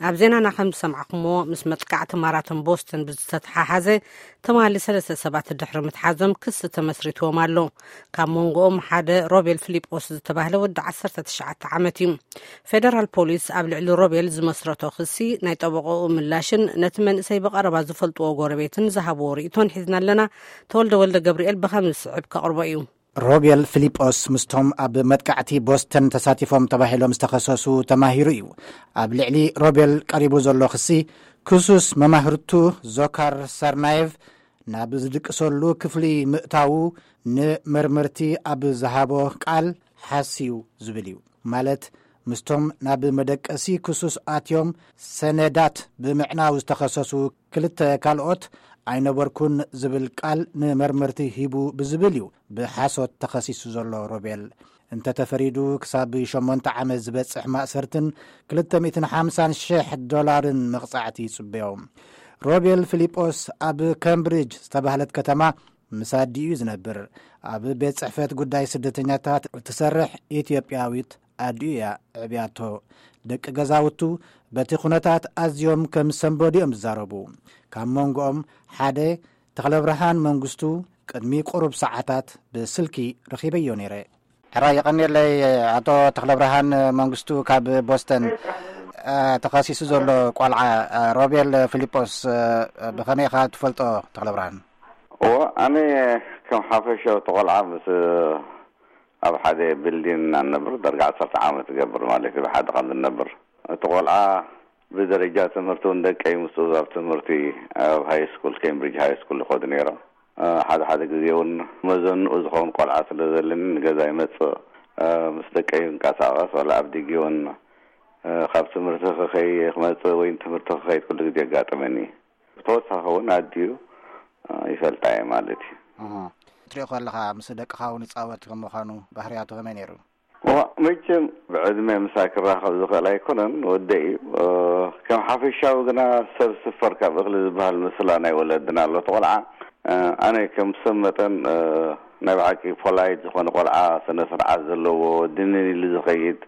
ኣብ ዜናና ከም ዝሰማዕኩምዎ፣ ምስ መጥቃዕቲ ማራቶን ቦስተን ብዝተተሓሓዘ ትማሊ ሰለስተ ሰባት ድሕሪ ምትሓዞም ክሲ ተመስሪትዎም ኣሎ። ካብ መንጎኦም ሓደ ሮቤል ፊሊጶስ ዝተባህለ ወዲ ዓሰርተ ትሽዓተ ዓመት እዩ። ፌደራል ፖሊስ ኣብ ልዕሊ ሮቤል ዝመስረቶ ክሲ፣ ናይ ጠበቆኡ ምላሽን ነቲ መንእሰይ ብቐረባ ዝፈልጥዎ ጎረቤትን ዝሃብዎ ርእይቶን ሒዝና ኣለና። ተወልደ ወልደ ገብርኤል ብኸም ዝስዕብ ከቕርቦ እዩ። ሮቤል ፊሊጶስ ምስቶም ኣብ መጥቃዕቲ ቦስተን ተሳቲፎም ተባሂሎም ዝተኸሰሱ ተማሂሩ እዩ። ኣብ ልዕሊ ሮቤል ቀሪቡ ዘሎ ክሲ፣ ክሱስ መማህርቱ ዞካር ሰርናየቭ ናብ ዝድቅሰሉ ክፍሊ ምእታዉ ንመርመርቲ ኣብ ዝሃቦ ቃል ሓስዩ ዝብል እዩ። ማለት፣ ምስቶም ናብ መደቀሲ ክሱስ ኣትዮም ሰነዳት ብምዕናው ዝተኸሰሱ ክልተ ካልኦት ኣይነበርኩን ዝብል ቃል ንመርመርቲ ሂቡ ብዝብል እዩ ብሓሶት ተኸሲሱ ዘሎ ሮቤል። እንተተፈሪዱ፣ ክሳብ ሸሞንተ ዓመት ዝበጽሕ ማእሰርትን ክልተ ሚእትን ሓምሳን ሽሕ ዶላርን መቕጻዕቲ ይጽበዮ። ሮቤል ፊሊጶስ ኣብ ካምብሪጅ ዝተባህለት ከተማ ምስ ኣዲኡ እዩ ዝነብር። ኣብ ቤት ጽሕፈት ጉዳይ ስደተኛታት እትሰርሕ ኢትዮጵያዊት ኣዲኡ እያ ዕብያቶ። ደቂ ገዛውቱ በቲ ኩነታት ኣዝዮም ከም ሰንበዱ እዮም ዝዛረቡ። ካብ መንጎኦም ሓደ ተኽለብርሃን መንግስቱ ቅድሚ ቁሩብ ሰዓታት ብስልኪ ረኺበዮ ነይረ። ሕራይ፣ የቐንየለይ። ኣቶ ተኽለብርሃን መንግስቱ ካብ ቦስተን፣ እ፣ ተኸሲሱ ዘሎ ቆልዓ፣ እ፣ ሮቤል ፊሊጶስ፣ እ፣ ብኸመይ ኢኻ ትፈልጦ፣ ተኽለብርሃን? እዎ፣ ኣነ ከም ሓፈሻዊ እቲ ቆልዓ ምስ ኣብ ሓደ ቢልዲን ኢና ንነብር፣ ዳርጋ ዓሰርተ ዓመት ይገብር ማለት እዩ፣ ብሓደ ከም ንነብር። እቲ ቆልዓ ብደረጃ ትምህርቲ እውን ደቀይ ምስኡ ኣብ ትምህርቲ ኣብ ሃይ ስኩል፣ ኬምብሪጅ ሃይ ስኩል ይኸዱ ነይሮም። እ፣ ሓደ ሓደ ግዜ እውን መዘንኡ ዝኸውን ቆልዓ ስለ ዘለኒ ንገዛ ይመጽእ። እ፣ ምስ ደቀይ ይንቀሳቐስ፣ ዋላ ኣብ ዲጊ እውን፣ እ፣ ካብ ትምህርቲ ክኸይ ክመጽእ ወይ ንትምህርቲ ክኸይድ ኩሉ ግዜ የጋጥመኒ። ብተወሳኺ እውን ኣዲኡ፣ እ፣ ይፈልጣ እየ ማለት እዩ። እህ። ትሪኦ ከለኻ ምስ ደቅኻ እውን ይጻወት ከም ምዃኑ ባህርያቱ ከመይ ነይሩ? እዋ፣ መቸም ብዕድመ ምሳይ ክራኸብ ዝኽእል ኣይኮነን፣ ወደይ እዩ። እ፣ ከም ሓፈሻዊ ግና ሰብ ስፈር ካብ እኽሊ ዝበሃል ምስላ ናይ ወለድና ኣሎ። እቲ ቆልዓ፣ እ፣ ኣነ ከም ሰብ መጠን፣ እ፣ ናይ ብሓቂ ፖላይት ዝኾነ ቆልዓ፣ ስነ ስርዓት ዘለዎ፣ ድንን ኢሉ ዝኸይድ፣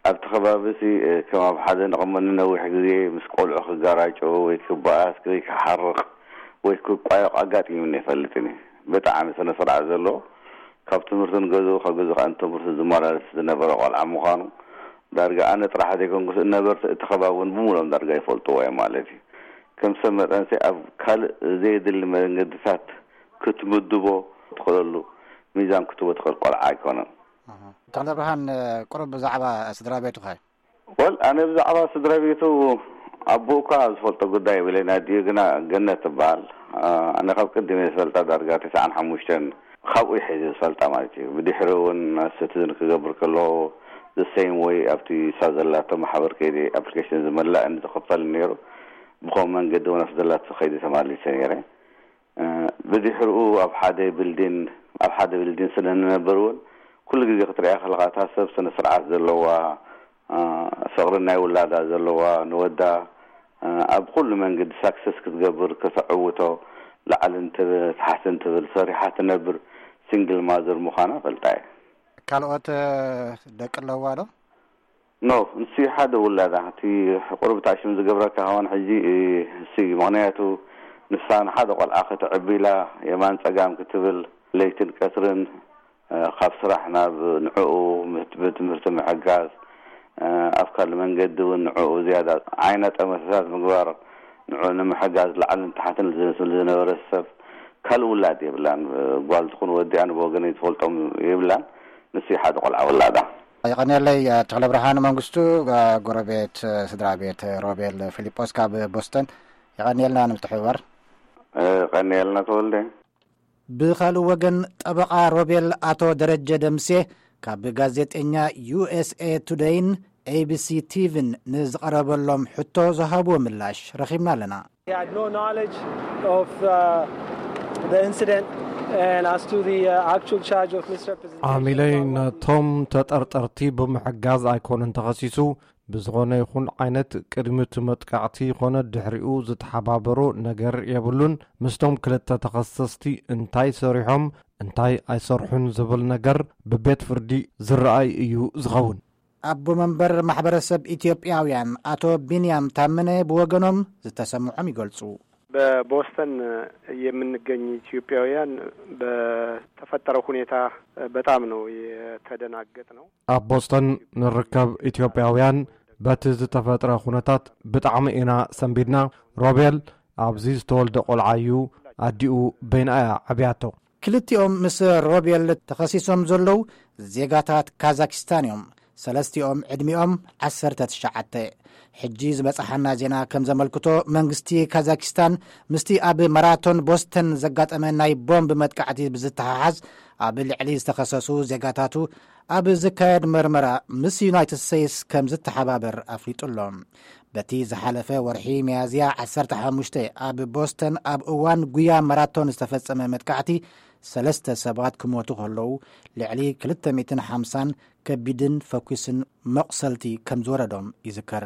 ኣብቲ ከባቢ ሲ፣ እ፣ ከም ኣብ ሓደ ነቕሞ ንነዊሕ ግዜ ምስ ቆልዑ ክጋራጮ ወይ ክበኣስ ወይ ክሓርቕ ወይ ክቋየቕ ኣጋጢሙኒ ኣይፈልጥን እዩ። ብጣዕሚ ስነ ስርዓት ዘለዎ፣ ካብ ትምህርቱ ንገዝኡ፣ ካብ ገዝኡ ከዓ ንትምህርቱ ዝመላለስ ዝነበረ ቆልዓ ምዃኑ ዳርጋ ኣነ ጥራሕ ዘይኮንኩስ፣ ነበርቲ እቲ ከባቢ እውን ብምሉኦም ዳርጋ ይፈልጥዎ እዮም ማለት እዩ። ከም ሰብ መጠንሲ ኣብ ካልእ ዘየድሊ መንገድታት ክትምድቦ ትኽእለሉ ሚዛን ክትቦ ትኽእል ቆልዓ ኣይኮነን። እህ። ተኽለብርሃን፣ ቁሩብ ብዛዕባ ስድራ ቤቱኸ? ወል፣ ኣነ ብዛዕባ ስድራ ቤቱ፣ ኣቦኡ እኳ ዝፈልጦ ጉዳይ የብለይን፣ ኣዲኡ ግና ገነት ትበሃል። ኣ፣ ኣነ ካብ ቅድም እየ ዝፈልጣ፣ ዳርጋ ተስዓን ሓሙሽተን ካብኡ ይሕዝ ዝፈልጣ ማለት እዩ። ብድሕሪ እውን ስቲዝን ክገብር ከሎ፣ the same way ኣብቲ እሳ ዘላቶ ማሕበር ከይደ ኣፕሊኬሽን ዝመላእ እንዲ ዝኽፈል ነይሩ። ብኸም መንገዲ እውን ኣብቲ ዘላቶ ከይደ ተማሊሰ ነይረ። እ፣ ብድሕሪኡ ኣብ ሓደ ቢልዲን፣ ኣብ ሓደ ቢልዲን ስለ ንነብር እውን፣ ኩሉ ግዜ ክትሪኣ ከለኻ፣ እታ ሰብ ስነ ስርዓት ዘለዋ፣ እ፣ ፍቕሪ ናይ ውላዳ ዘለዋ፣ ንወዳ፣ እ፣ ኣብ ኩሉ መንገዲ ሳክሰስ ክትገብር፣ ከተዕውቶ፣ ላዕልን ትብ-፣ ታሕትን ትብል፣ ሰሪሓ ትነብር ሲንግል ማዘር ምዃና ፈልጣ እየ። ካልኦት፣ እ፣ ደቂ ኣለዋ ዶ? ኖ፣ ንሱ ሓደ ውላዳ፣ እቲ ቁሩብ ታሽም ዝገብረካ ከውን ሕጂ፣ እ፣ እሱ እዩ። ምኽንያቱ ንሳ ንሓደ ቆልዓ ከተዕቢ ኢላ የማን ጸጋም ክትብል፣ ለይትን ቀትርን፣ እ፣ ካብ ስራሕ ናብ ንዕኡ ምት-፣ ብትምህርቲ ምሕጋዝ፣ እ፣ ኣብ ካልእ መንገዲ እውን ንዕኡ ዝያዳ ዓይነ ጠመተታት ምግባር፣ ንዕኡ ንምሕጋዝ ላዕልን ታሕትን ዝብል ዝነበረ ሰብ፣ ካልእ ውላድ የብላን። ጓል ትኹን ወዲ ኣነ ብወገነይ ዝፈልጦም የብላን። ንሱ እዩ ሓደ ቆልዓ ውላዳ። የቐንየለይ፣ እ፣ ተኽለብርሃን መንግስቱ፣ እ፣ ጎረቤት፣ እ፣ ስድራ ቤት፣ እ፣ ሮቤል ፊሊጶስ ካብ ቦስተን። የቐንየልና ንምትሕብባር። እ፣ ቀንየልና ተወልደ። ብኻልእ ወገን፣ ጠበቓ ሮቤል ኣቶ ደረጀ ደምሴ ካብ ጋዜጠኛ ዩ ኤስ ኤ ቱደይን ኤ ቢ ሲ ቲቪን ንዝቐረበሎም ሕቶ ዝሃብዎ ምላሽ ረኺብና ኣለና። He had no knowledge of, uh, the incident, and as to the, uh, actual charge of misrepresentation. ዓሚለይ ነቶም ተጠርጠርቲ ብምሕጋዝ ኣይኮነን ተኸሲሱ። ብዝኾነ ይኹን ዓይነት፣ ቅድሚ እቲ መጥቃዕቲ ይኾነ ድሕሪኡ ዝተሓባበሮ ነገር የብሉን። ምስቶም ክልተ ተኸሰስቲ እንታይ ሰሪሖም፣ እንታይ ኣይሰርሑን ዝብል ነገር ብቤት ፍርዲ ዝረኣይ እዩ ዝኸውን። ኣቦ መንበር ማሕበረሰብ ኢትዮጵያውያን ኣቶ ቢንያም ታመነ ብወገኖም ዝተሰምዖም ይገልጹ። በቦስተን የምንገኝ ኢትዮጵያውያን በተፈጠረው ሁኔታ በጣም ነው የተደናገጥነው። ኣብ ቦስተን ንርከብ ኢትዮጵያውያን በቲ ዝተፈጥረ ኩነታት ብጣዕሚ ኢና ሰንቢድና። ሮቤል ኣብዚ ዝተወልደ ቆልዓ እዩ። ኣዲኡ በይና እያ ዓብያቶ። ክልቲኦም ምስ ሮቤል ተኸሲሶም ዘለዉ ዜጋታት ካዛኪስታን እዮም። ሰለስቲኦም ዕድሚኦም ዓሰርተ ትሽዓተ። ሕጂ ዝበጽሓና ዜና ከም ዘመልክቶ፣ መንግስቲ ካዛኪስታን ምስቲ ኣብ ማራቶን ቦስተን ዘጋጠመ ናይ ቦምብ መጥቃዕቲ ብዝተሓሓዝ ኣብ ልዕሊ ዝተኸሰሱ ዜጋታቱ ኣብ ዝካየድ መርመራ ምስ ዩናይትድ ስቴትስ ከም ዝተሓባበር ኣፍሊጡ ኣሎ። በቲ ዝሓለፈ ወርሒ ሚያዝያ ዓሰርተ ሓሙሽተ ኣብ ቦስተን ኣብ እዋን ጉያ ማራቶን ዝተፈጸመ መጥቃዕቲ ሰለስተ ሰባት ክሞቱ ከለዉ፣ ልዕሊ ክልተ ሚእትን ሓምሳን ከቢድን ፈኲስን መቑሰልቲ ከም ዝወረዶም ይዝከር።